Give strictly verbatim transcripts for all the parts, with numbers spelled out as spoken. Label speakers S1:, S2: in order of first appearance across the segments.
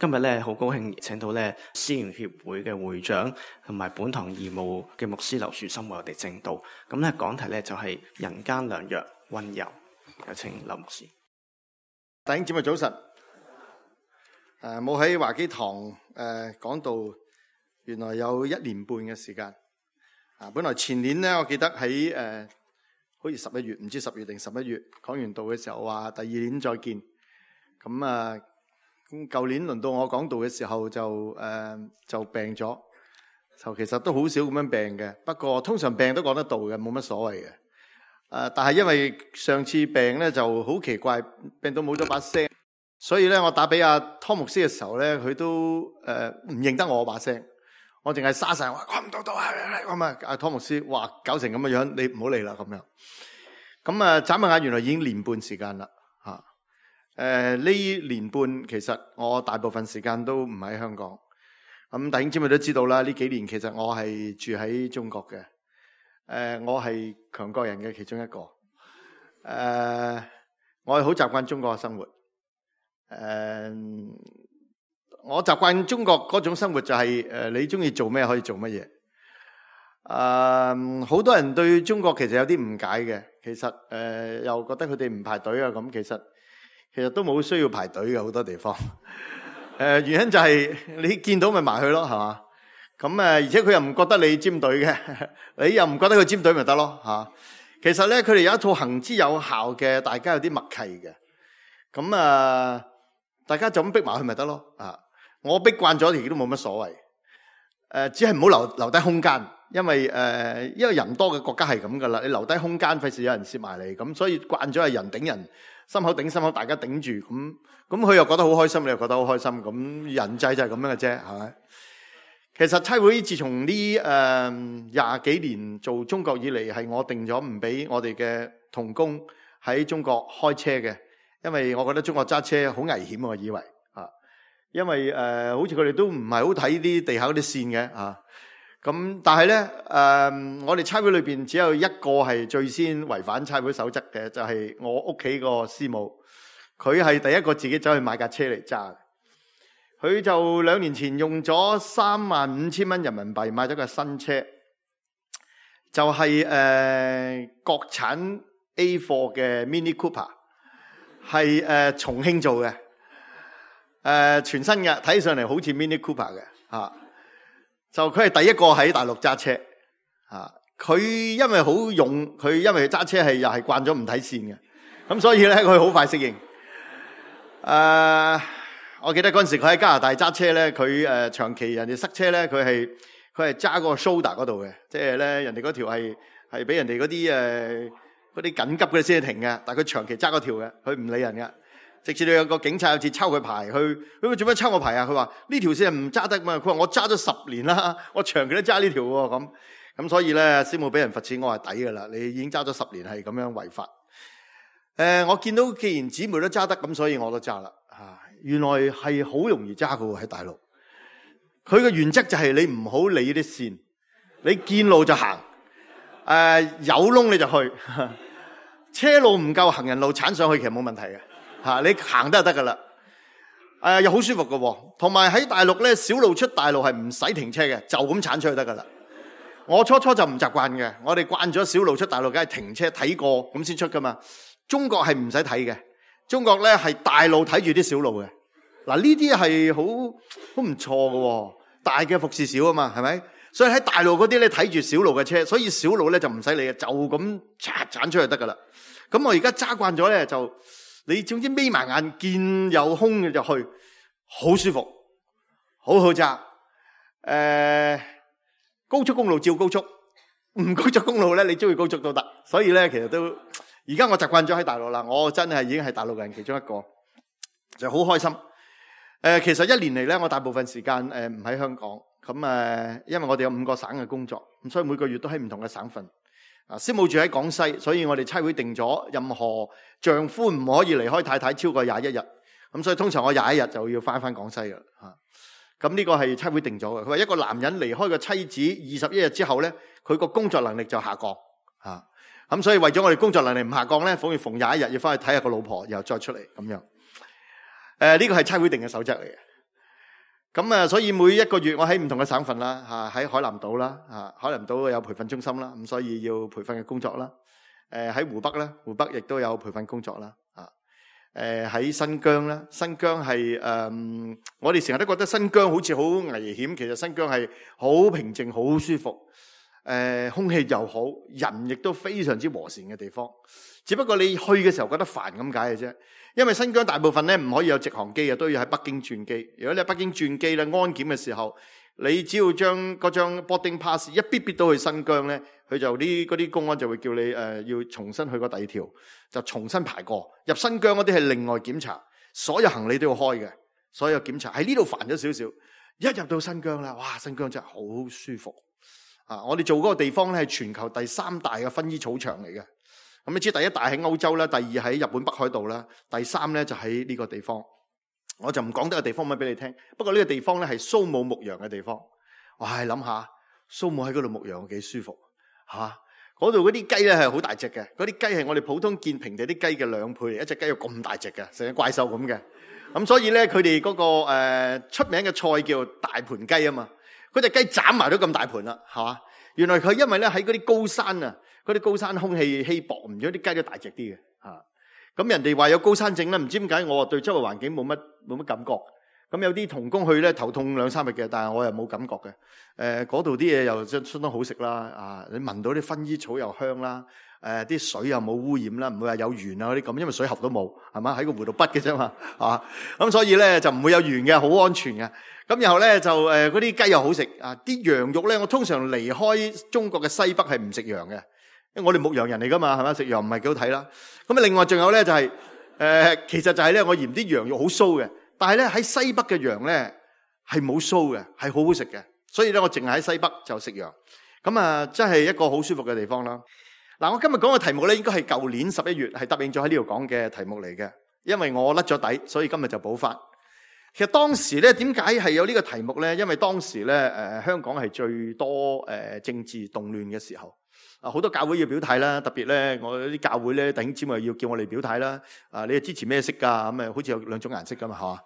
S1: 今日咧好高興請到咧思源協會嘅會長同埋本堂義務嘅牧師劉樹森為我哋證道。咁咧講題咧就係人間良藥溫柔，有請劉牧師。
S2: 弟兄姊妹早晨。誒冇喺華基堂誒講道，原來有一年半嘅時間。啊，本來前年咧，我記得喺誒、呃、好似十一月，唔知十月定十一月講完道嘅時候話第二年再見。咁啊，咁舊年輪到我講道嘅時候就誒、呃、就病咗，就其實都好少咁樣病嘅。不過通常病都講得到嘅，冇乜所謂嘅。誒、呃，但係因為上次病咧就好奇怪，病到冇咗把聲，所以咧我打俾阿湯牧師嘅時候咧，佢都誒唔、呃、認得我把聲。我淨係沙晒話講唔到到啊！咁啊，阿湯牧師話搞成咁嘅樣，你唔好嚟啦咁樣。咁啊，眨下眼原來已經年半時間啦嚇。誒、啊、呢年半其實我大部分時間都唔喺香港。咁弟兄姊妹都知道啦，呢幾年其實我係住喺中國嘅。誒、啊，我係強國人嘅其中一個。誒、啊，我係好習慣中國嘅生活。誒、啊。我習慣中國嗰種生活就係、是、誒，你中意做咩可以做乜嘢。誒、呃，好多人對中國其實有啲誤解嘅，其實誒、呃、又覺得佢哋唔排隊啊咁，其實其實都冇需要排隊嘅好多地方。誒、呃，原因就係你見到咪埋去咯，係嘛？咁誒，而且佢又唔覺得你尖隊嘅，你又唔覺得佢尖隊咪得咯吓。其實咧，佢哋有一套行之有效嘅，大家有啲默契嘅。咁啊、呃，大家就咁逼埋去咪得咯啊！我逼慣咗，亦都冇乜所謂。誒、呃，只係唔好留留低空間，因為誒、呃，因為人多嘅國家係咁噶啦，你留低空間，費事有人攝埋嚟，咁所以慣咗係人頂人，心口頂心口，大家頂住，咁咁佢又覺得好開心，你又覺得好開心，咁人際就係咁樣嘅啫，係咪？其實差會自從呢誒廿幾年做中國以嚟，係我定咗唔俾我哋嘅同工喺中國開車嘅，因為我覺得中國揸車好危險，我以為。因為誒、呃，好似佢哋都唔係好睇啲地下嗰啲線嘅啊。咁但係咧誒，我哋差會裏邊只有一個係最先違反差會守則嘅，就係、是、我屋企個師母。佢係第一個自己走去買架車嚟揸。佢就兩年前用咗三萬五千蚊人民幣買咗架新車，就係、是、誒、呃、國產 A 貨嘅 Mini Cooper， 係誒、呃、重慶做嘅。誒、呃，全新嘅，睇上嚟好似 Mini Cooper 嘅，吓、啊，就佢係第一個喺大陸揸車，吓、啊，佢因為好勇，佢因為揸車係又係慣咗唔睇線嘅，咁所以咧佢好快適應。誒、啊，我記得嗰陣時佢喺加拿大揸車咧，佢誒、呃、長期人哋塞車咧，佢係佢係揸嗰個 shoulder 嗰度嘅，即係咧人哋嗰條係係俾人哋嗰啲誒嗰啲緊急嘅先停嘅，但係佢長期揸嗰條嘅，佢唔理人嘅。直至到有個警察有次抄佢牌，去佢做咩抄我牌啊？佢話呢條線係唔揸得嘛？佢話我揸咗十年啦，我長期都揸呢條喎。咁咁所以咧，師母俾人罰錢，我係抵噶啦。你已經揸咗十年，係咁樣違法。誒、呃，我見到既然姊妹都揸得，咁所以我都揸啦。啊，原來係好容易揸噶喎喺大陸。佢嘅原則就係你唔好理啲線，你見路就行。誒、呃，有窿你就去，車路唔夠，行人路鏟上去其實冇問題嘅。吓，你行得就得噶啦，誒、呃、又好舒服噶，同埋喺大陸咧，小路出大路係唔使停車嘅，就咁鏟出去得噶啦。我初初就唔習慣嘅，我哋慣咗小路出大路，梗係停車睇過咁先出噶嘛。中國係唔使睇嘅，中國咧係大路睇住啲小路嘅。嗱，呢啲係好好唔錯噶，大嘅服侍小啊嘛，係咪？所以喺大路嗰啲咧睇住小路嘅車，所以小路咧就唔使理嘅，就咁鏟鏟出去得噶啦。咁我而家揸慣咗咧就。你總之眯埋眼見有空嘅就去，好舒服，好好揸。誒、呃，高速公路照高速，唔高速公路咧，你中意高速都得。所以咧，其實都而家我習慣咗喺大陸啦。我真係已經係大陸人其中一個，就好開心。誒、呃，其實一年嚟咧，我大部分時間誒唔喺香港。咁誒、呃，因為我哋有五個省嘅工作，咁所以每個月都喺唔同嘅省份。啊，師母住喺廣西，所以我哋差會定咗，任何丈夫唔可以離開太太超過廿一日。咁所以通常我廿一日就要翻翻廣西噶啦。吓，咁呢個係差會定咗嘅。佢話一個男人離開個妻子二十一日之後咧，佢個工作能力就下降。吓，咁所以為咗我哋工作能力唔下降咧，逢逢廿一日要翻去睇下個老婆，然後再出嚟咁樣。誒、呃，呢、這個係差會定嘅守則嚟嘅。咁啊，所以每一個月我喺唔同嘅省份啦，嚇喺海南島啦，嚇海南島有培訓中心啦，咁所以要培訓嘅工作啦。誒喺湖北咧，湖北亦都有培訓工作啦。啊，誒喺新疆咧，新疆係誒，我哋成日都覺得新疆好似好危險，其實新疆係好平靜、好舒服。誒空氣又好，人亦都非常之和善嘅地方。只不過你去嘅時候覺得煩咁解嘅啫，因為新疆大部分咧唔可以有直航機嘅，都要喺北京轉機。如果你喺北京轉機咧，安檢嘅時候，你只要將嗰張 boarding pass 一逼逼到去新疆咧，佢就啲嗰啲公安就會叫你誒、呃、要重新去過第二條，就重新排過。入新疆嗰啲係另外檢查，所有行李都要開嘅，所有檢查喺呢度煩咗少少。一入到新疆啦，哇！新疆真係好舒服啊！我哋做嗰個地方咧係全球第三大嘅薰衣草場嚟嘅。咁你知第一大喺歐洲啦，第二喺日本北海道啦，第三咧就喺呢個地方。我就唔講得個地方乜俾你聽。不過呢個地方咧係蘇姆牧羊嘅地方。哇！諗下蘇姆喺嗰度牧羊幾舒服嚇。嗰度嗰啲雞咧係好大隻嘅，嗰啲雞係我哋普通見平地啲雞嘅兩倍，一隻雞有咁大隻嘅，成隻怪獸咁嘅。咁所以咧佢哋嗰個、呃、出名嘅菜叫大盤雞啊嘛。嗰隻雞斬埋都咁大盤啦，係嘛？原來佢因為咧喺嗰啲高山啊。嗰啲高山空氣稀薄，唔咗啲雞都大隻啲嘅嚇。咁人哋話有高山症咧，唔知點解我對周圍環境冇乜冇乜感覺。咁有啲同工去咧頭痛兩三日嘅，但係我又冇感覺嘅。誒嗰度啲嘢又相相當好食啦，啊你聞到啲薰衣草又香啦，誒、呃、啲水又冇污染啦，唔會話有鉛啊嗰啲咁，因為水喉都冇，係嘛？喺個湖度筆嘅啫嘛，啊咁所以咧就唔會有鉛嘅，好安全嘅。咁然後咧就誒嗰啲雞又好食啊，啲羊肉咧我通常離開中國嘅西北係唔食羊嘅。因為我哋牧羊人嚟噶嘛，係咪？食羊唔係幾好睇啦。咁啊，另外仲有咧就係、是、誒、呃，其實就係咧，我嫌啲羊肉好騷嘅。但係咧喺西北嘅羊咧係冇騷嘅，係好好食嘅。所以咧我淨係喺西北就食羊。咁啊，真係一個好舒服嘅地方啦。嗱，我今日講嘅題目咧，應該係舊年十一月係答應咗喺呢度講嘅題目嚟嘅。因為我甩咗底，所以今日就補翻。其實當時咧點解係有呢個題目咧？因為當時咧誒、呃、香港係最多誒、呃、政治動亂嘅時候。啊！好多教會要表態啦，特別咧，我啲教會咧弟兄姊妹要叫我哋表態啦。啊，你係支持咩色㗎？咁啊，好似有兩種顏色㗎嘛，係嘛？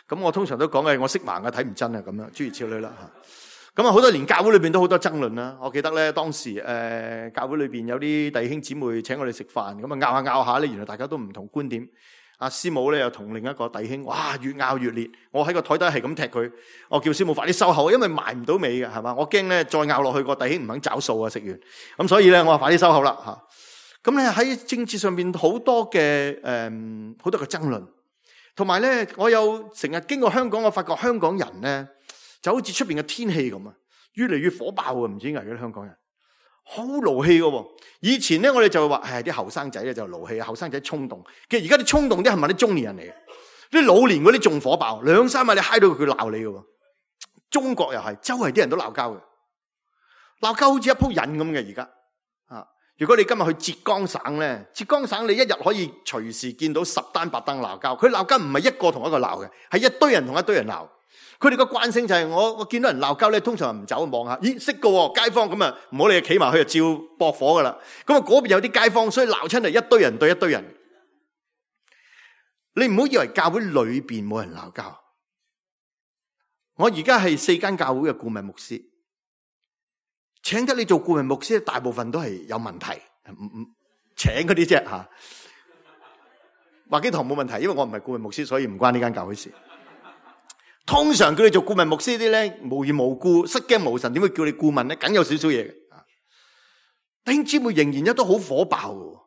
S2: 咁我通常都講嘅，我色盲嘅睇唔真啊，咁樣諸如此類啦嚇。咁啊，好多年教會裏邊都好多爭論啦。我記得咧，當時誒、呃、教會裏邊有啲弟兄姊妹請我哋食飯，咁啊拗下拗下咧，原來大家都唔同觀點。阿師母咧又同另一個弟兄，哇越拗越烈。我喺個台底係咁踢佢，我叫師母快啲收口，因為埋唔到尾嘅，係嘛？我驚咧再拗落去個弟兄唔肯找數啊！食完咁，所以咧我話快啲收口啦嚇。咁咧喺政治上邊好多嘅誒好多嘅爭論，同埋咧我有成日經過香港，我發覺香港人咧就好似出邊嘅天氣咁啊，越嚟越火爆啊！唔知點解啲香港人好勞氣嘅。以前咧我哋就話係啲後生仔咧就勞氣，後生仔衝動。其實而家啲衝動啲係咪啲中年人嚟嘅？啲老年嗰啲仲火爆，兩三日你嗨到佢鬧你嘅。中國又係，周圍啲人都鬧交嘅，鬧交好似一鋪癮咁嘅而家。啊，如果你今日去浙江省咧，浙江省你一日可以隨時見到十單八單鬧交。佢鬧交唔係一個同一個鬧嘅，係一堆人同一堆人鬧。佢哋個慣性就係我我見到人鬧交咧，通常唔走望下，咦識嘅喎街坊咁啊，唔好理企埋去就照駁火噶啦。咁啊嗰邊有啲街坊，所以鬧親係一堆人對一堆人。你唔好以為教會裏邊冇人鬧交。我而家係四間教會嘅顧問牧師，請得你做顧問牧師，大部分都係有問題，唔唔請嗰啲啫吓。華基堂冇問題，因為我唔係顧問牧師，所以唔關呢間教會事。通常叫你做顧問牧師啲咧，無緣無故失驚無神，點會叫你顧問咧？梗有少少嘢嘅。弟兄姊妹仍然一都好火爆嘅，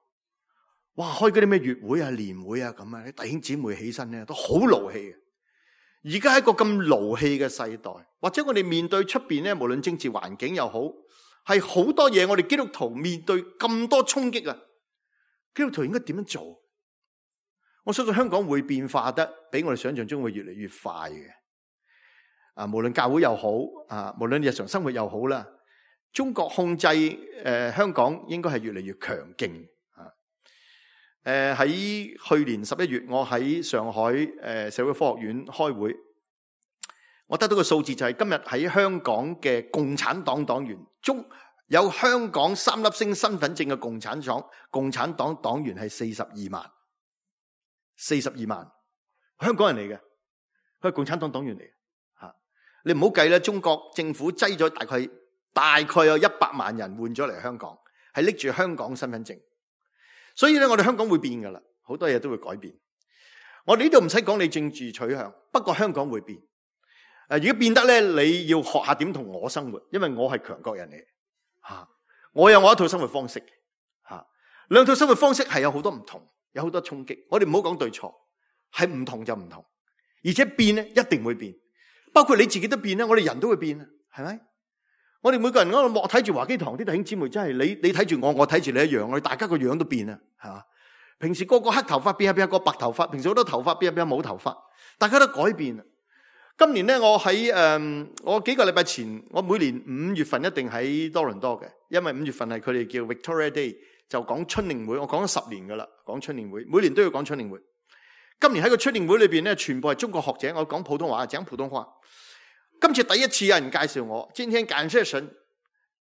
S2: 哇！開嗰啲咩月會啊、年會啊咁啊，啲弟兄姊妹起身咧都好勞氣嘅。而家係一個咁勞氣嘅世代，或者我哋面對出邊咧，無論政治環境又好，係好多嘢，我哋基督徒面對咁多衝擊啊，基督徒應該點樣做？我相信香港會變化得比我哋想象中會越嚟越快嘅。啊，無論教會又好，啊，無論日常生活又好啦，中國控制誒、呃、香港應該係越嚟越強勁啊！誒、呃、喺去年十一月，我喺上海誒、呃、社會科學院開會，我得到個數字就係今日喺香港嘅共產黨黨員中有香港三粒星身份證嘅共產黨共產黨黨員係四十二萬，四十二萬香港人嚟嘅，佢係共產黨黨員嚟嘅。你唔好計啦，中國政府擠咗大概大概有一百萬人換咗嚟香港，係拎住香港身份證。所以咧，我哋香港會變噶啦，好多嘢都會改變。我哋呢度唔使講你政治取向，不過香港會變。誒，如果變得咧，你要學下點同我生活，因為我係強國人嚟吓，我有我一套生活方式吓，兩套生活方式係有好多唔同，有好多衝擊。我哋唔好講對錯，係唔同就唔同，而且變咧一定會變，包括你自己都變咧，我哋人都會變啊，係咪？我哋每個人嗰度睇住華基堂啲弟兄姊妹，真係你你睇住我，我睇住你一樣，我哋大家個樣都變啊，係嘛？平時個個黑頭髮變下變下個白頭髮，平時好多頭髮變下變下冇頭髮，大家都改變啊。今年咧，我喺誒、呃，我幾個禮拜前，我每年五月份一定喺多倫多嘅，因為五月份係佢哋叫 Victoria Day，就講春令會。我講咗十年噶啦，講春令會，每年都要講春令會。今年喺個春令會裏邊咧，全部係中國學者，我講普通話，講普通話。今次第一次有人介紹我，今天感謝神，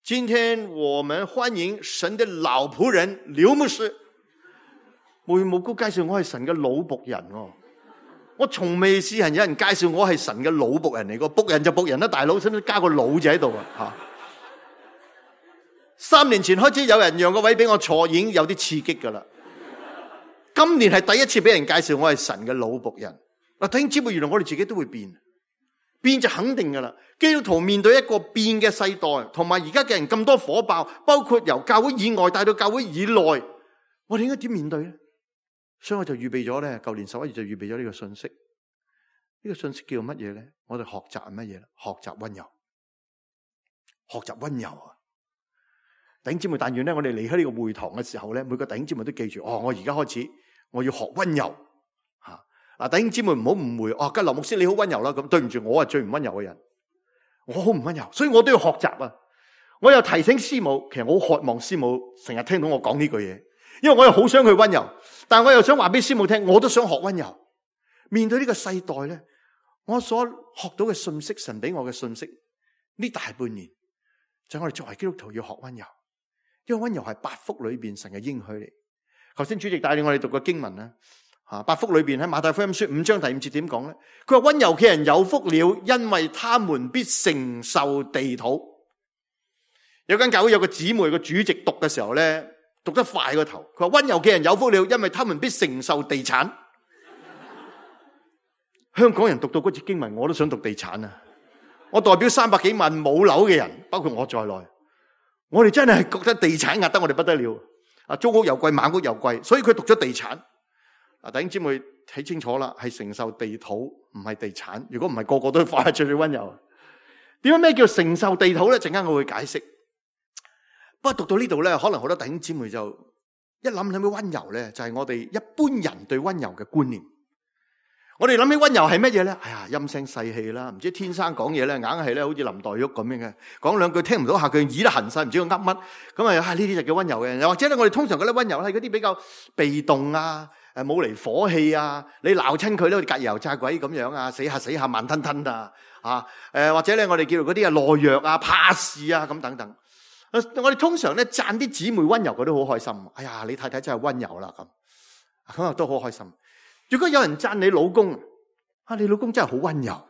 S2: 今天我們歡迎神的老僕人劉牧師。無緣無故介紹我係神嘅老僕人喎。我從未試人有人介紹我係神嘅老僕人嚟，個僕人就僕人啦，大佬使唔使加個老字喺度啊？吓！三年前開始有人讓個位俾我坐，已經有啲刺激噶啦。今年係第一次俾人介紹我係神嘅老僕人。嗱，弟兄姊妹，原來我哋自己都會變，變就肯定噶啦。基督徒面對一個變嘅世代，同埋而家嘅人咁多火爆，包括由教會以外帶到教會以內，我哋應該點面對咧？所以我就預備咗咧，舊年十一月就預備咗呢個信息。呢個信息叫乜嘢咧？我哋學習係乜嘢咧？學習溫柔，學習溫柔啊！弟兄姊妹，但願咧，我哋離開呢個會堂嘅時候咧，每個弟兄姊妹都記住，哦，我而家開始我要學溫柔吓。嗱，弟兄姊妹唔好誤會，哦，吉劉牧師你好溫柔啦，咁對唔住，我係最唔溫柔嘅人，我好唔溫柔，所以我都要學習啊！我又提醒師母，其實我好渴望師母成日聽到我講呢句嘢。因為我又好想去溫柔，但我又想話俾師母聽，我都想學溫柔。面對呢個世代咧，我所學到嘅信息，神俾我嘅信息，呢大半年就係我哋作為基督徒要學溫柔，因為溫柔係八福裏邊神嘅應許嚟。頭先主席帶領我哋讀個經文啦，吓，八福裏邊喺馬太福音書五章第五節點講咧？佢話溫柔嘅人有福了，因為他們必承受地土。有間教會有個姊妹個主席讀嘅時候咧，讀得快個頭，佢話溫柔嘅人有福了，因為他們必承受地產。香港人讀到嗰節經文，我都想讀地產啊！我代表三百幾萬冇樓嘅人，包括我在內，我哋真係覺得地產壓得我哋不得了啊！租屋又貴，買屋又貴，所以佢讀咗地產。啊，弟兄姊妹睇清楚啦，係承受地土，唔係地產。如果唔係，個個都快最最溫柔。點解咩叫承受地土咧？陣間我會解釋。不過讀到呢度咧，可能好多弟兄姊妹就一諗諗起溫柔咧，就係我哋一般人對溫柔嘅觀念。我哋諗起溫柔係乜嘢咧？哎呀，陰聲細氣啦，唔知天生講嘢咧，硬係咧好似林黛玉咁樣嘅，講兩句聽唔到下句，耳都痕晒，唔知佢噏乜。咁啊，呢啲就叫溫柔嘅人。又或者咧，我哋通常覺得溫柔係嗰啲比較被動啊，誒冇嚟火氣啊，你鬧親佢咧，好似隔油炸鬼咁樣啊，死下死下慢吞吞啊，啊誒或者咧，我哋叫做嗰啲啊懦弱啊、怕事啊咁等等。我哋通常咧讚啲姊妹溫柔，佢都好開心。哎呀，你太太真係溫柔啦咁，咁啊都好開心。如果有人讚你老公，啊，你老公真係好溫柔，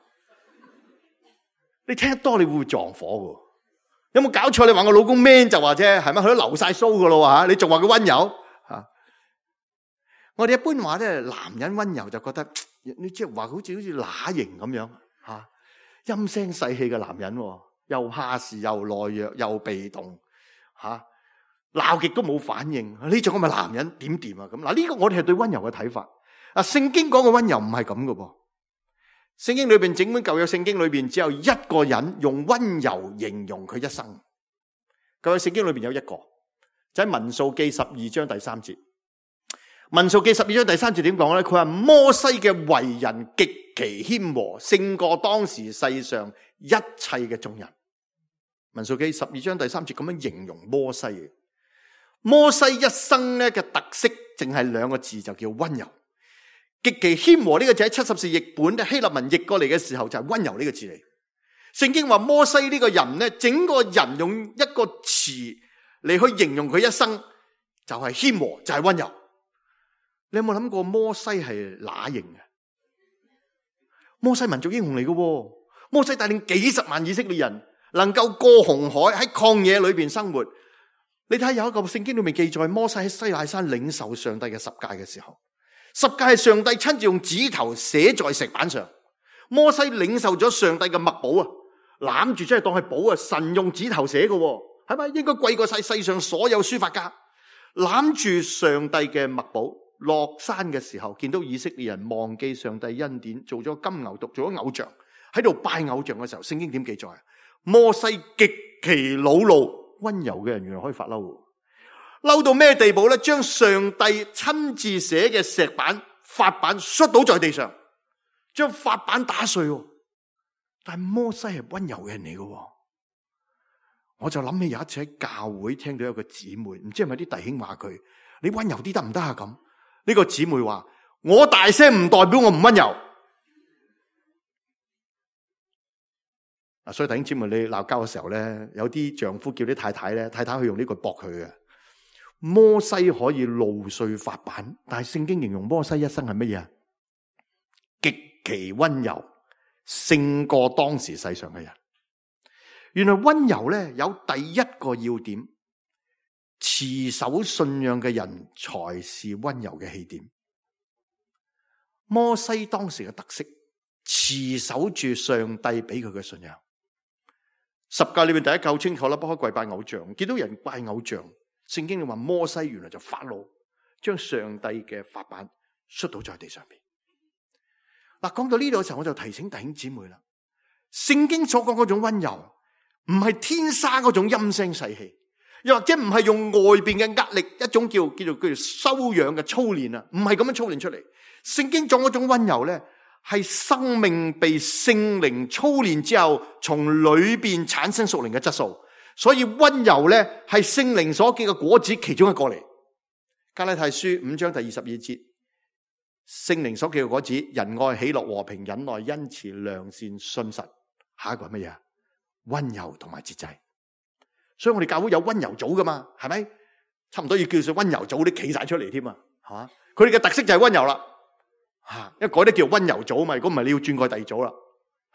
S2: 你聽得多你會唔會撞火嘅？有冇搞錯？你話我老公 man 就話啫，係咪？佢都流晒鬚噶咯吓，你仲話佢溫柔吓？我哋一般話咧，男人溫柔就覺得你即係話好似好似乸型咁樣吓，陰聲細氣嘅男人，又怕事又懦弱又被動吓，鬧極都冇反應，呢種咁嘅男人點掂啊？咁嗱，呢個我哋係對溫柔嘅睇法。啊，聖經講嘅溫柔唔係咁嘅噃。聖經裏邊整本舊約聖經裏邊只有一個人用溫柔形容佢一生。舊約聖經裏邊有一個，就喺民數記十二章第三節。民數記十二章第三節點講咧？佢話摩西嘅為人極其謙和，勝過當時世上一切嘅眾人。民數記十二章第三節咁樣形容摩西嘅。摩西一生咧嘅特色，淨係兩個字，就叫溫柔。極其謙和呢個字喺七十士譯本希臘文譯過嚟嘅時候就係溫柔呢個字嚟。聖經話摩西呢個人咧，整個人用一個詞嚟去形容佢一生，就係謙和，就係溫柔。你有冇諗過摩西係乸型嘅？摩西民族英雄嚟嘅，摩西帶領幾十萬以色列人能夠過紅海，喺曠野裏邊生活。你睇有一個聖經裏面記載，摩西喺西奈山領受上帝嘅十誡嘅時候，十誡係上帝親自用指頭寫在石板上。摩西領受咗上帝嘅墨寶啊，攬住真係當係寶啊！神用指頭寫嘅，係咪應該貴過晒世上所有書法家？攬住上帝嘅墨寶，落山嘅時候見到以色列人忘記上帝恩典，做咗金牛犢，做咗偶像，喺度拜偶像嘅時候，聖經點記載啊？摩西極其惱怒。溫柔嘅人原來可以發嬲，嬲到咩地步咧？將上帝親自寫嘅石板法板摔倒在地上，將法板打碎。但係摩西係溫柔嘅人嚟嘅，我就諗起有一次喺教會聽到有個姊妹，唔知係咪啲弟兄話佢：你溫柔啲得唔得啊？咁呢個姊妹話：我大聲唔代表我唔溫柔。啊，所以弟兄姊妹，你鬧交嘅時候咧，有啲丈夫叫啲太太咧，太太去用呢句駁佢嘅。摩西可以怒碎法板，但係聖經形容摩西一生係乜嘢？極其溫柔，勝過當時世上嘅人。原來溫柔咧有第一個要點，持守信仰嘅人才是溫柔嘅起點。摩西當時嘅特色，持守住上帝俾佢嘅信仰。十誡裏面第一誡好清楚啦，不可跪拜偶像。見到人拜偶像，聖經裏話摩西原來就發怒，將上帝嘅法版摔倒在地上邊。嗱，講到呢度嘅時候，我就提醒弟兄姊妹啦，聖經所講嗰種溫柔，唔係天生嗰種陰聲細氣，又或者唔係用外邊嘅壓力，一種叫叫做叫做修養嘅操練啊，唔係咁樣操練出嚟。聖經講嗰種溫柔咧，係生命被聖靈操練之後，從裏邊產生屬靈嘅質素。所以溫柔咧係聖靈所結嘅果子其中一個嚟。加拉太書五章第二十二節，聖靈所結嘅果子：仁愛、喜樂、和平、忍耐、恩慈、良善、信實。下一個係乜嘢？溫柔同埋節制。所以我哋教會有溫柔組噶嘛，係咪？差唔多要叫做溫柔組啲企晒出嚟添啊，係嘛？佢哋嘅特色就係溫柔啦。吓，一改得叫溫柔組嘛，如果唔係你要轉過第二組啦。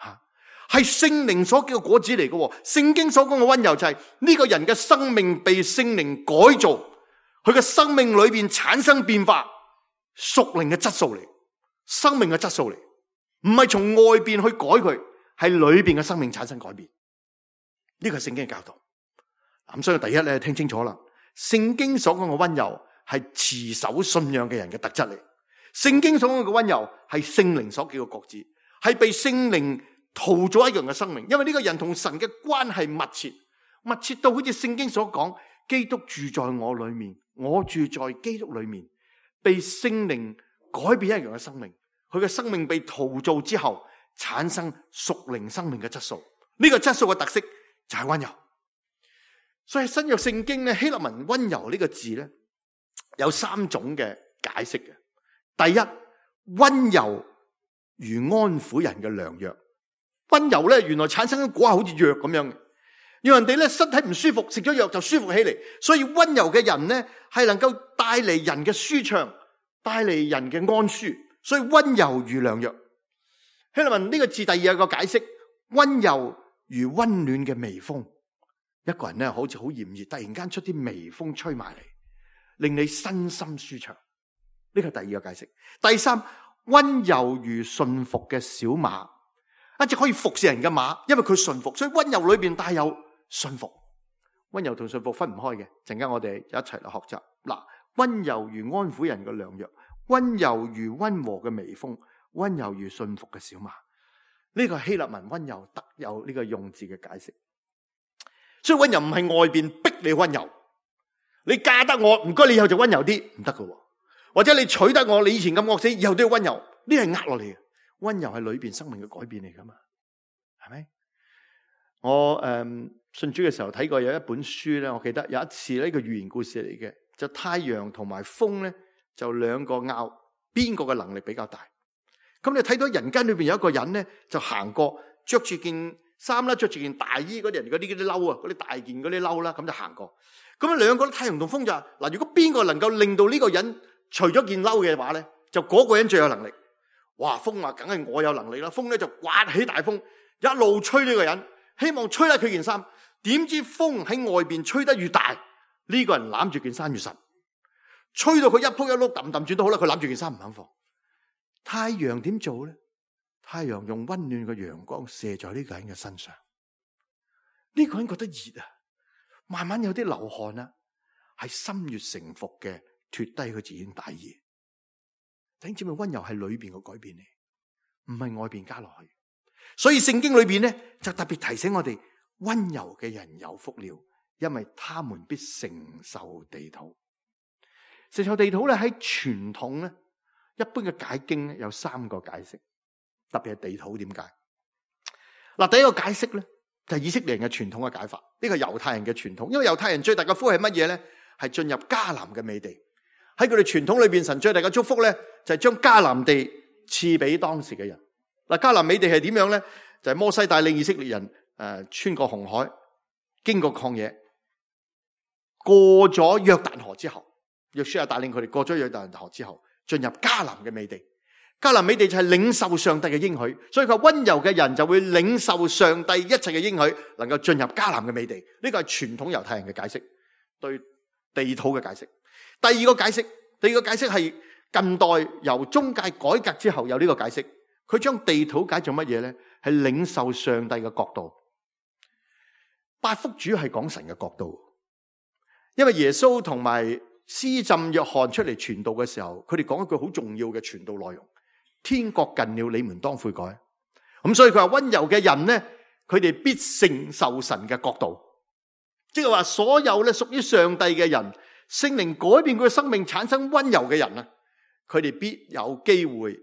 S2: 吓，係聖靈所叫嘅果子嚟嘅。聖經所講嘅溫柔就係呢個人嘅生命被聖靈改造，佢嘅生命裏邊產生變化，屬靈嘅質素嚟，生命嘅質素嚟，唔係從外邊去改佢，係裏邊嘅生命產生改變。呢個係聖經嘅教導。咁所以第一咧，聽清楚啦，聖經所講嘅溫柔係持守信仰嘅人嘅特質嚟。聖經所講嘅溫柔係聖靈所叫嘅果子，係被聖靈陶造一樣嘅生命。因為呢個人同神嘅關係密切，密切到好似聖經所講，基督住在我裏面，我住在基督裏面，被聖靈改變一樣嘅生命。佢嘅生命被陶造之後，產生屬靈生命嘅質素。呢個質素嘅特色就係溫柔。所以新約聖經咧，希臘文溫柔呢個字咧，有三種嘅解釋嘅。第一，溫柔如安撫人嘅良藥。溫柔咧，原來產生嘅果係好似藥咁樣嘅，讓人哋咧身體唔舒服，食咗藥就舒服起嚟。所以溫柔嘅人咧，係能夠帶嚟人嘅舒暢，帶嚟人嘅安舒。所以溫柔如良藥。希臘文呢個字第二有個解釋，溫柔如溫暖嘅微風。一個人咧好似好炎熱，突然間出啲微風吹埋嚟，令你身心舒暢。呢個係第二個解釋。第三，溫柔如順服嘅小馬，一隻可以服侍人嘅馬，因為佢順服，所以溫柔裏邊帶有順服。溫柔同順服分唔開嘅，陣間我哋一齊嚟學習。嗱，溫柔如安撫人嘅良藥，溫柔如溫和嘅微風，溫柔如順服嘅小馬。呢個係希臘文溫柔特有呢個用字嘅解釋。所以溫柔唔係外邊逼你溫柔，你嫁得我唔該，你以後就溫柔啲，唔得㗎。或者你娶得我，你以前咁惡死，以後都要溫柔，呢係壓落嚟嘅。溫柔係裏邊生命嘅改變嚟噶嘛，係咪？我誒、嗯、信主嘅時候睇過有一本書咧，我記得有一次呢個寓言故事嚟嘅，就太陽同埋風咧就兩個拗，邊個嘅能力比較大？咁你睇到人間裏邊有一個人咧就行過，着住件衫啦，着住件大衣嗰啲人嗰啲嗰啲褸啊，嗰啲大件嗰啲褸啦，咁就行過。咁啊兩個太陽同風就話嗱，如果邊個能夠令到呢個人除咗件褸嘅話咧，就嗰個人最有能力。哇！風話梗係我有能力啦，風咧就颳起大風，一路吹呢個人，希望吹甩佢件衫。點知風喺外邊吹得越大，呢個人攬住件衫越實，吹到佢一仆一碌揼揼轉都好啦，佢攬住件衫唔肯放。太陽點做咧？太陽用溫暖嘅陽光射在呢個人嘅身上，呢個人覺得熱啊，慢慢有啲流汗啊，係心悅誠服嘅脫低佢自己大衣。弟兄姊妹，溫柔係裏邊嘅改變嚟，唔係外邊加落去。所以聖經裏邊咧就特別提醒我哋，溫柔嘅人有福了，因為他們必承受地土。承受地土咧喺傳統咧，一般嘅解經咧有三個解釋，特別係地土點解？嗱，第一個解釋咧就係以色列人嘅傳統嘅解法，呢個係猶太人嘅傳統，因為猶太人最大嘅福係乜嘢咧？係進入迦南嘅美地。喺佢哋傳統裏邊，神最大嘅祝福咧就係將迦南地賜俾當時嘅人。嗱，迦南美地係點樣咧？就係摩西帶領以色列人誒穿過紅海，經過曠野，過咗約旦河之後，約書亞帶領佢哋過咗約旦河之後，進入迦南嘅美地。迦南美地就係領受上帝嘅應許，所以佢溫柔嘅人就會領受上帝一切嘅應許，能夠進入迦南嘅美地。呢個係傳統猶太人嘅解釋，對地土嘅解釋。第二個解釋，第二個解釋係近代由中介改革之後有呢個解釋，佢將地土解做乜嘢咧？係領受上帝嘅國度。八福主係講神嘅國度，因為耶穌同埋施浸約翰出嚟傳道嘅時候，佢哋講一句好重要嘅傳道內容：天國近了，你們當悔改。咁所以佢話溫柔嘅人咧，佢哋必承受神嘅國度，即係話所有咧屬於上帝嘅人，聖靈改變佢嘅生命，產生溫柔嘅人啊，佢哋必有機會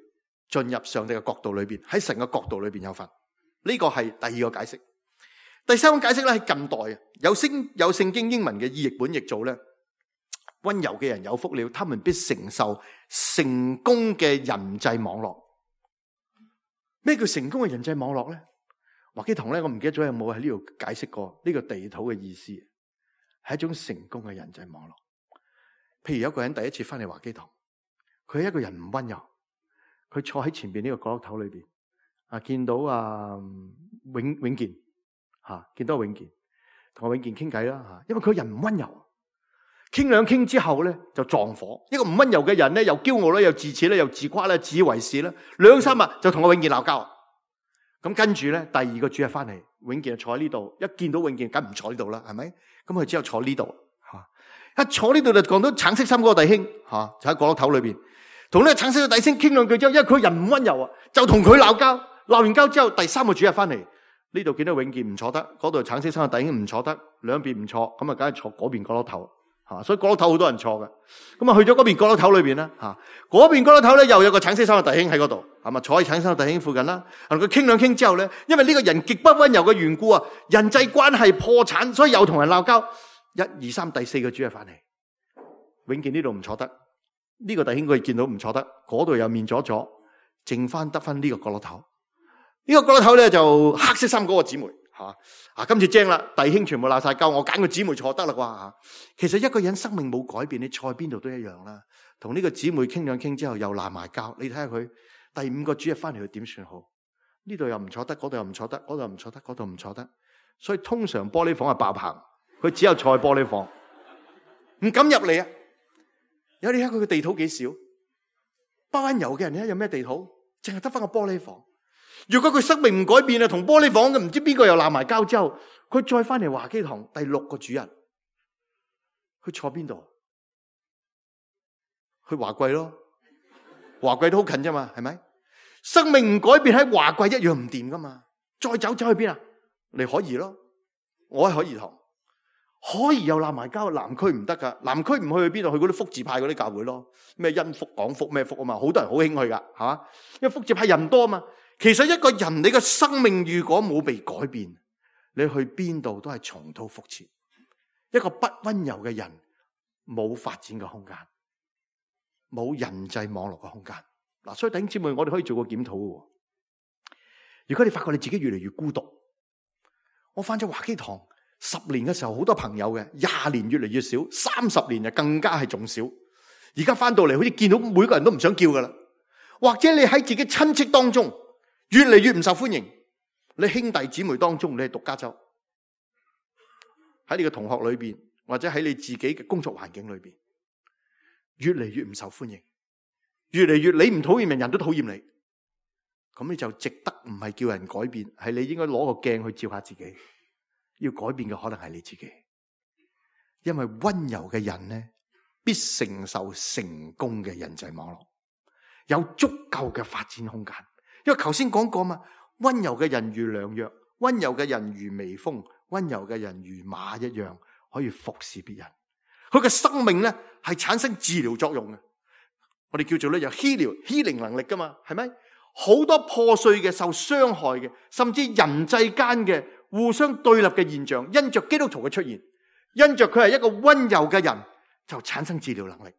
S2: 進入上帝嘅國度裏邊，喺神嘅國度裏邊有份。呢個係第二個解釋。第三個解釋咧係近代啊，有聖有聖經英文嘅意譯本譯做咧，溫柔嘅人有福了，他們必承受成功嘅人際網絡。咩叫成功嘅人際網絡咧？華基堂咧，我唔記得咗有冇喺呢度解釋過呢個地土嘅意思，係一種成功嘅人際網絡。譬如有一個人第一次翻嚟華基堂，佢係一個人唔溫柔，佢坐喺前邊呢個角落頭裏邊啊，見到啊永永健吓、啊，見到永健，同阿永健傾偈啦吓，因為佢人唔溫柔，傾兩傾之後咧就撞火。一個唔溫柔嘅人咧，又驕傲啦，又自恃啦，又自誇啦，自以為是啦，兩三日就同阿永健鬧交。咁跟住咧，第二個主日翻嚟，永健就坐喺呢度，一見到永健，梗唔坐呢度啦，係咪？咁佢之後坐呢度吓，一坐呢度就講到橙色衫嗰個弟兄吓、啊，就喺角落頭裏邊，同呢個橙色嘅弟兄傾兩句之後，因為佢人唔溫柔啊，就同佢鬧交。鬧完交之後，第三個主日翻嚟，呢度見到永健唔坐得，嗰度橙色衫嘅弟兄唔坐得，兩邊唔坐，咁啊，梗係坐嗰邊角落頭吓，所以角落頭好多人坐嘅。咁啊，去咗嗰邊角落頭裏邊啦吓，嗰邊角落頭咧又有個橙色衫嘅弟兄喺嗰度，係咪坐喺橙色衫嘅弟兄附近啦？同佢傾兩傾之後咧，因為呢個人極不溫柔嘅緣故啊，人際關係破產，所以又同人鬧交。一二三，第四個主日翻嚟，永健呢度唔坐得，呢、這個弟兄佢見到唔坐得，嗰度又面咗咗，剩翻得翻呢個角落頭。呢、這個角落頭咧就黑色衫嗰個姊妹吓，啊今次精啦，弟兄全部鬧晒交，我揀個姊妹坐得啦啩吓。其實一個人生命冇改變，你坐喺邊度都一樣啦。同呢個姊妹傾兩傾之後又鬧埋交，你睇下佢第五個主日翻嚟佢點算好？呢度又唔坐得，嗰度又唔坐得，嗰度又唔坐得，嗰度唔坐得，所以通常玻璃房係爆棚，佢只有坐喺玻璃房，唔敢入嚟啊！有你睇佢嘅地土幾少？不溫柔嘅人咧有咩地土？淨係得翻個玻璃房。如果佢生命唔改變啊，同玻璃房嘅唔知邊個又鬧埋交之後，佢再翻嚟華基堂第六個主日，佢坐邊度？去華貴咯，華貴都好近啫嘛，係咪？生命唔改變喺華貴一樣唔掂噶嘛。再走走去邊啊？嚟海怡咯，我喺海怡堂。海怡又鬧埋交，南區唔得噶，南區唔去去邊度？去嗰啲福字派嗰啲教會咯，咩恩福、廣福咩福啊嘛，好多人好興去噶，係嘛？因為福字派人多啊嘛。其實一個人你嘅生命如果冇被改變，你去邊度都係重蹈覆轍。一個不溫柔嘅人冇發展嘅空間，冇人際網絡嘅空間。嗱，所以弟兄姊妹，我哋可以做個檢討嘅。如果你發覺你自己越嚟越孤獨，我返咗華基堂十年嘅時候好多朋友嘅，廿年越嚟越少，三十年就更加係仲少。而家返到嚟好似見到每個人都唔想叫噶啦，或者你喺自己親戚當中越嚟越唔受歡迎，你兄弟姊妹當中，你係獨家州，喺你嘅同學裏邊，或者喺你自己嘅工作環境裏邊，越嚟越唔受歡迎，越嚟越你唔討厭人，人都討厭你。咁你就值得唔係叫人改變，係你應該攞個鏡去照下自己。要改變嘅可能係你自己，因為溫柔嘅人呢，必承受成功嘅人際網絡，有足夠嘅發展空間。因為頭先講過嘛，溫柔嘅人如良藥，溫柔嘅人如微風，溫柔嘅人如馬一樣，可以服侍別人。佢嘅生命呢係產生治療作用嘅，我哋叫做咧有 heal healing 能力噶嘛，係咪？好多破碎嘅、受傷害嘅，甚至人際間嘅互相對立嘅現象，因着基督徒嘅出現，因着佢係一個溫柔嘅人，就產生治療能力。誒、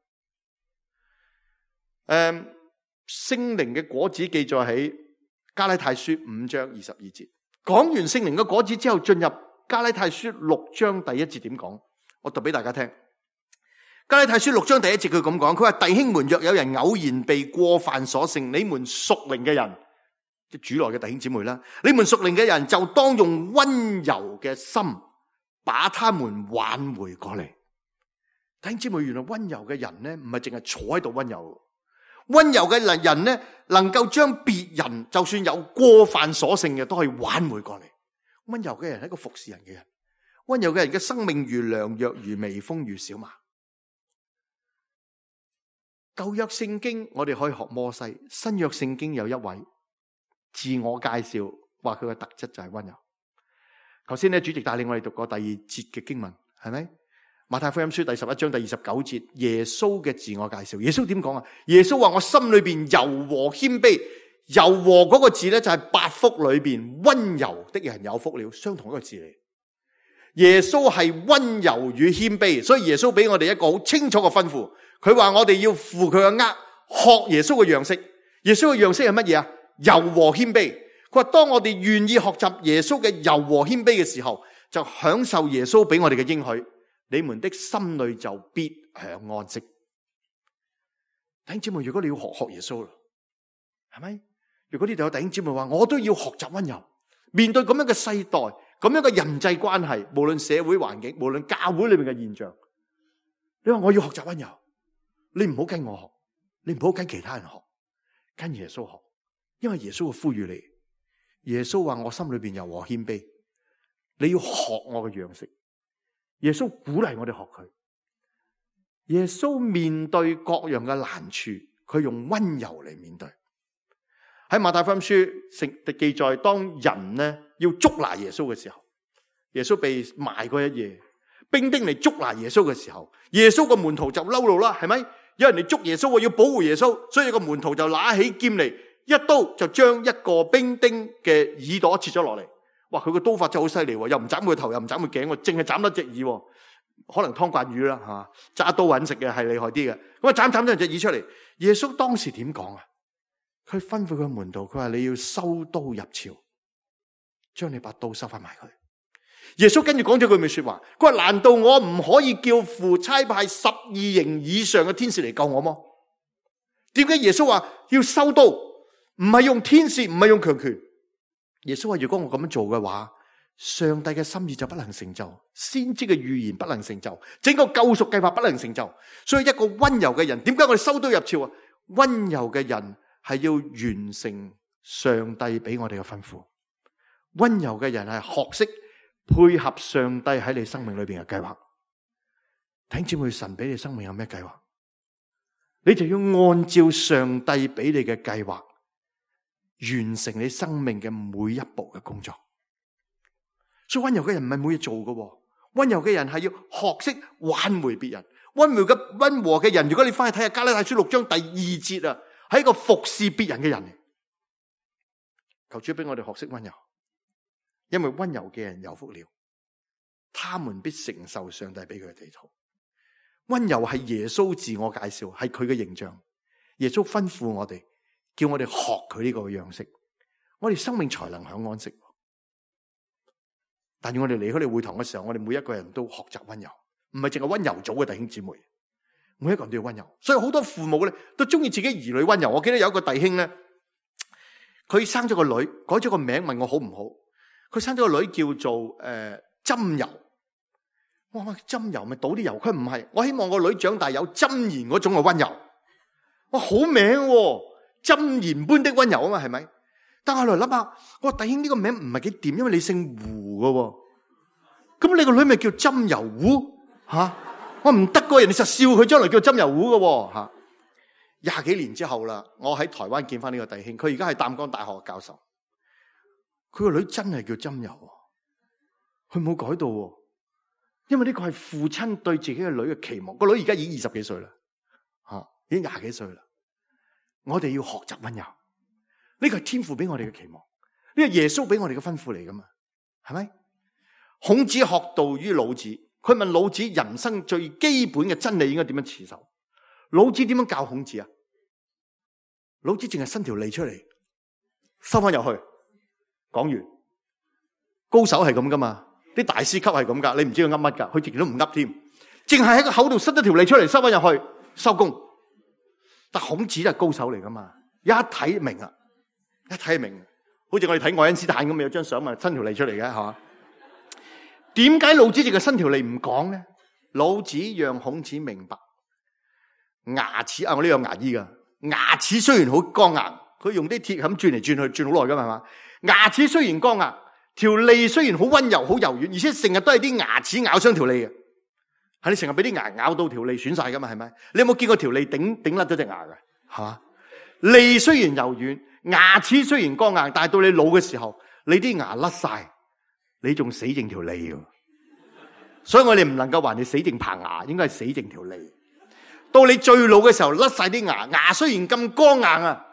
S2: 嗯，聖靈嘅果子記載喺加拉太書五章二十二節。講完聖靈嘅果子之後，進入加拉太書六章第一節點講？我讀俾大家聽。加拉太書六章第一節佢咁講，佢話弟兄們，若有人偶然被過犯所勝，你們屬靈嘅人，即主內嘅弟兄姊妹啦，你們屬靈嘅人就當用溫柔嘅心把他們挽回過嚟。弟兄姊妹，原來溫柔嘅人呢，唔係淨係坐喺度溫柔，溫柔嘅人呢，能夠將別人就算有過犯所勝嘅，都可以挽回過嚟。溫柔嘅人係一個服侍人嘅人，溫柔嘅人嘅生命如良藥，如微風，如小馬。舊約聖經我哋可以學摩西，新約聖經有一位自我介紹，話佢嘅特質就係溫柔。頭先咧，主席帶領我哋讀過第二節嘅經文，係咪？馬太福音書第十一章第二十九節，耶穌嘅自我介紹。耶穌點講啊？耶穌話：我心裏邊柔和謙卑。柔和嗰個字咧就係八福裏邊溫柔的人有福了，相同一個字嚟。耶穌係溫柔與謙卑，所以耶穌俾我哋一個好清楚嘅吩咐。佢話我哋要負佢嘅軛，學耶穌嘅樣式。耶穌嘅樣式係乜嘢啊？柔和謙卑。佢話當我哋願意學習耶穌嘅柔和謙卑嘅時候，就享受耶穌俾我哋嘅應許。你們的心裏就必享安息。弟兄姊妹，如果你要學學耶穌啦，係咪？如果呢度有弟兄姊妹話，我都要學習溫柔，面對咁樣嘅世代，咁樣嘅人際關係，無論社會環境，無論教會裏面嘅現象，你話我要學習溫柔。你唔好跟我學，你唔好跟其他人學，跟耶穌學，因為耶穌會呼籲你。耶穌話我心裏邊柔和謙卑，你要學我嘅樣式。耶穌鼓勵我哋學佢。耶穌面對各樣嘅難處，佢用溫柔嚟面對。喺馬太福音書聖記載，當人呢要捉拿耶穌嘅時候，耶穌被賣嗰一夜，兵丁嚟捉拿耶穌嘅時候，耶穌個門徒就嬲怒啦，係咪？有人嚟捉耶穌，我要保護耶穌，所以個門徒就拿起劍嚟，一刀就將一個兵丁嘅耳朵切咗落嚟。哇！佢個刀法真係好犀利，又唔斬佢頭，又唔斬佢頸，淨係斬得隻耳。可能湯鯇魚啦，吓揸刀搵食嘅係厲害啲嘅。咁啊斬斬咗隻耳出嚟。耶穌當時點講啊？佢吩咐佢門徒，佢話你要收刀入鞘，將你把刀收翻埋佢。耶穌跟住講咗句咩說話？佢話難道我唔可以叫父差派十二營以上嘅天使嚟救我麼？點解耶穌話要收刀？唔係用天使，唔係用強權。耶穌話如果我咁樣做嘅話，上帝嘅心意就不能成就，先知嘅預言不能成就，整個救贖計劃不能成就。所以一個溫柔嘅人，點解我哋收刀入鞘啊？溫柔嘅人係要完成上帝俾我哋嘅吩咐。溫柔嘅人係學識配合上帝喺你生命裏邊嘅計劃。弟兄姊妹，神俾你生命有咩計劃？你就要按照上帝俾你嘅計劃，完成你生命嘅每一步嘅工作。所以溫柔嘅人唔係冇嘢做嘅，溫柔嘅人係要學識挽回別人。溫柔嘅溫和嘅人，如果你翻去睇下加拉太書六章第二節啊，係一個服侍別人嘅人嚟。求主俾我哋學識溫柔。因為溫柔嘅人有福了，他們必承受上帝俾佢嘅地土。溫柔係耶穌自我介紹，係佢嘅形象。耶穌吩咐我哋，叫我哋學佢呢個樣式，我哋生命才能享安息。但願我哋離開你會堂嘅時候，我哋每一個人都學習溫柔，唔係淨係溫柔組嘅弟兄姊妹，每一個人都要溫柔。所以好多父母咧都中意自己兒女溫柔。我記得有一個弟兄咧，佢生咗個女，改咗個名，問我好唔好？佢生咗個女叫做誒針油。我話針油咪倒啲油，佢唔係。我希望個女長大有針言嗰種嘅溫柔。哇，好名喎，針言般的溫柔啊嘛，係咪？但係我嚟諗下，我話弟兄呢個名唔係幾掂，因為你姓胡噶，咁你個女咪叫針油胡吓？我唔得噶，人哋實笑佢將來叫針油胡噶吓。廿幾年之後啦，我喺台灣見翻呢個弟兄，佢而家係淡江大學嘅教授。佢個女真係叫針油，佢冇改到，因為呢個係父親對自己嘅女嘅期望。個女而家已經二十幾歲啦，吓，已經廿幾歲啦。我哋要學習溫柔，呢個係天父俾我哋嘅期望，呢個係耶穌俾我哋嘅吩咐嚟噶嘛，係咪？孔子學道於老子，佢問老子人生最基本嘅真理應該點樣持守？老子點樣教孔子啊？老子淨係伸條脷出嚟，收翻入去，講完。高手係咁噶嘛？啲大師級係咁噶，你唔知佢噏乜噶，佢自己都唔噏添，淨係喺個口度伸咗條脷出嚟，收翻入去，收工。但孔子就係高手嚟噶嘛，一睇明啊，一睇明，好似我哋睇愛因斯坦咁，有張相咪伸條脷出嚟嘅，係嘛？點解老子淨係伸條脷唔講咧？老子讓孔子明白，牙齒啊，我呢有牙醫噶，牙齒雖然好剛硬，佢用啲鐵咁轉嚟轉去，轉好耐噶嘛，係嘛？牙齒雖然剛硬，條脷雖然好溫柔、好柔軟，而且成日都係啲牙齒咬傷條脷嘅，係你成日俾啲牙咬到條脷損晒噶嘛？係咪？你有冇見過條脷頂頂甩咗隻牙嘅？係嘛？脷雖然柔軟，牙齒雖然剛硬，但係到你老嘅時候，你啲牙甩晒，你仲死剩條脷嘅。所以我哋唔能夠話你死剩棚牙，應該係死剩條脷。到你最老嘅時候，甩晒啲牙，牙雖然咁剛硬啊，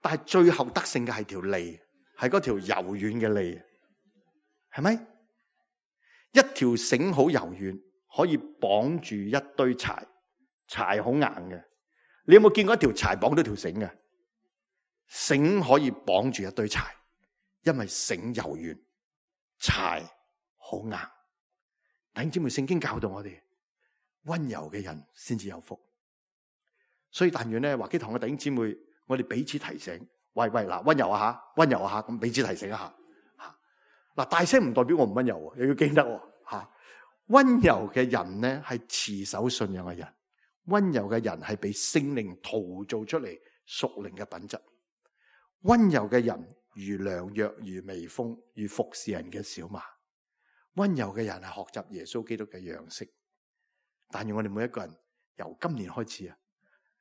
S2: 但係最後得勝嘅係條脷，係嗰條柔軟嘅脷，係咪？一條繩好柔軟，可以綁住一堆柴，柴好硬嘅。你有冇見過一條柴綁到條繩嘅？繩可以綁住一堆柴，因為繩柔軟，柴好硬。弟兄姊妹，聖經教導我哋，溫柔嘅人先至有福。所以但願咧，華基堂嘅弟兄姊妹，我哋彼此提醒，喂喂嗱，溫柔啊吓，溫柔啊吓，咁彼此提醒一下吓。嗱，大聲唔代表我唔溫柔，又要記得吓。溫柔嘅人咧係持守信仰嘅人，溫柔嘅人係被聖靈陶造出嚟屬靈嘅品質。溫柔嘅人如良藥，如微風，如服侍人嘅小馬。溫柔嘅人係學習耶穌基督嘅樣式，但願我哋每一個人由今年開始啊，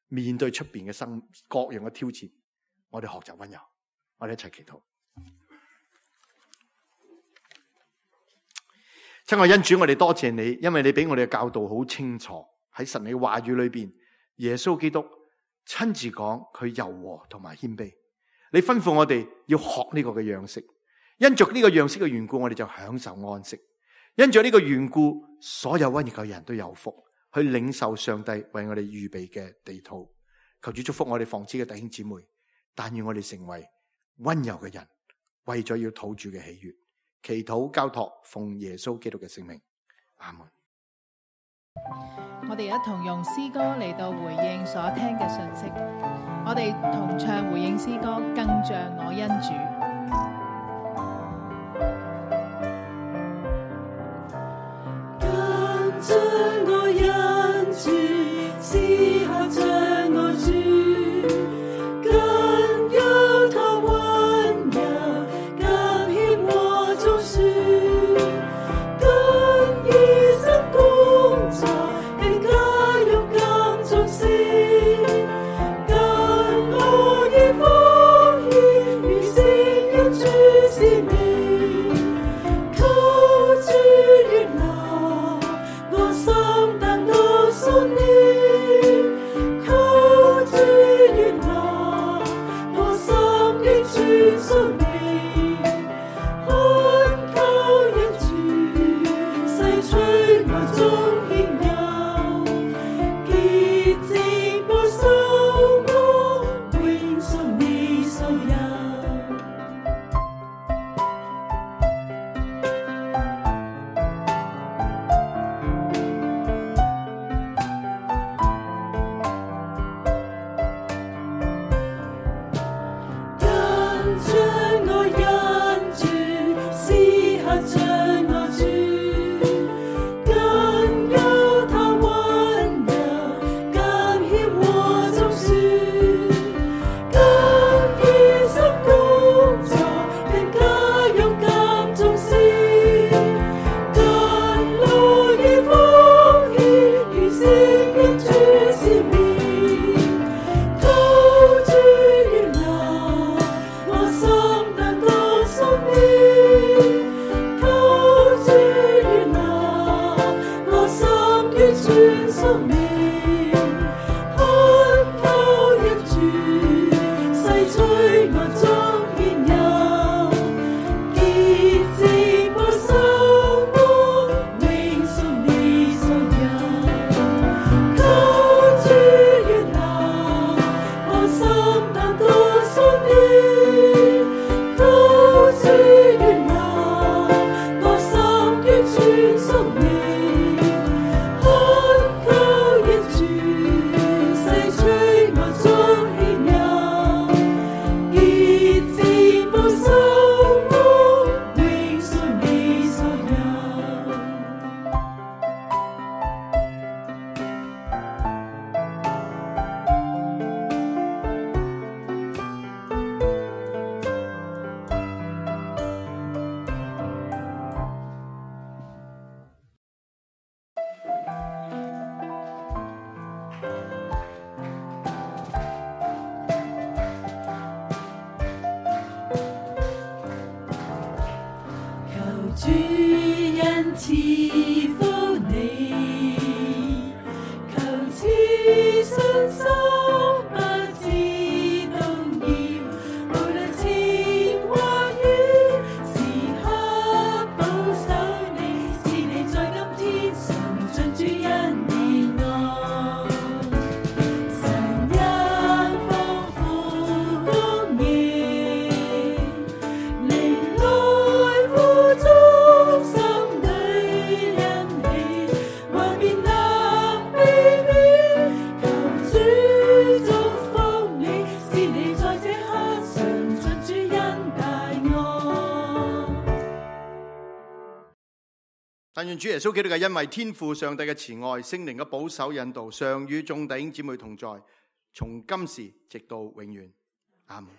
S2: 面對出邊嘅生各樣嘅挑戰，我哋學習溫柔，我哋一齊祈禱。親愛恩主，我哋多謝你，因為你俾我哋嘅教導好清楚，喺神你嘅話語裏邊，耶穌基督親自講佢柔和同埋謙卑，你吩咐我哋要學呢個嘅樣式。因着呢個樣式嘅緣故，我哋就享受安息。因着呢個緣故，所有溫柔嘅人都有福，去領受上帝為我哋預備嘅地土。求主祝福我哋房子嘅弟兄姊妹，但願我哋成為溫柔嘅人，為咗要討主嘅喜悅。祈禱交託，奉耶穌基督嘅聖名，阿門。
S3: 我哋一同用詩歌嚟到回應所聽嘅信息。我哋同唱回應詩歌，更像我恩主。
S4: 將我恩主，此刻將我主，更有他溫柔，更顯我種樹，更以身工作，更加勇敢作事，更樂意奉獻，如是。主恩賜福你，求賜信心不知動搖，無論前或遠，時刻保守你，是你在今天常盡主恩典愛，神恩豐富供應，靈來富足。
S2: 但願主耶穌基督嘅恩惠、天父上帝嘅慈愛、聖靈嘅保守引導，常與眾弟兄姊妹同在，從今時直到永遠。阿門。